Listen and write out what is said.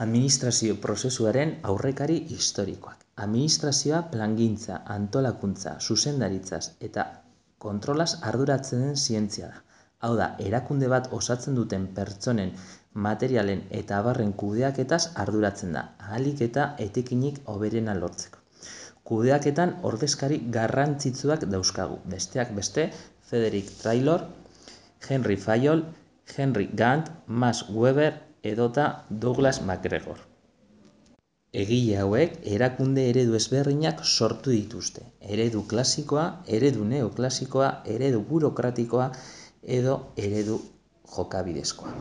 Administrazio prozesuaren aurrekari historikoak. Administrazioa plangintza, antolakuntza, zuzendaritzaz eta kontrolaz arduratzen den zientzia da. Hau da, erakunde bat osatzen duten pertsonen, materialen eta abarren kudeaketaz arduratzen da, ahalik eta etekinik hoberena lortzeko. Kudeaketan ordezkari garrantzitsuak dauzkagu, besteak beste, Frederick Taylor, Henry Fayol, Henry Gantt, Max Weber edota Douglas MacGregor. Egile hauek erakunde eredu ezberdinak sortu dituzte. Eredu klasikoa, eredu neoklasikoa, eredu burokratikoa edo eredu jokabidezkoa.